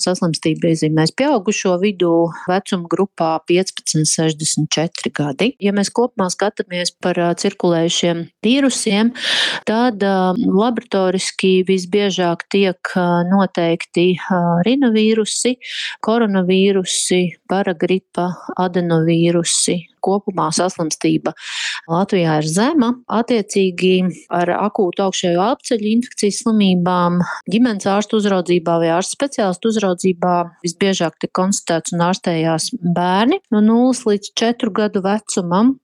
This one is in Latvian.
Saslimstība iezīmēs pieaugušo vidū vecuma grupā 15–64 gadi. Ja mēs kopumā skatāmies par cirkulējušiem vīrusiem, tad laboratoriski visbiežāk tiek noteikti rinovīrusi, koronavīrusi, paragripa, adenovīrusi. Kopumā saslimstība Latvijā ir zema. Attiecīgi ar akūtu augšējo elpceļu infekcijas slimībām ģimenes ārstu uzraudzībā vai ārsta speciālistu uzraudzībā visbiežāk tiek konstatēts un ārstējās bērni no 0 līdz 4 gadu vecumam.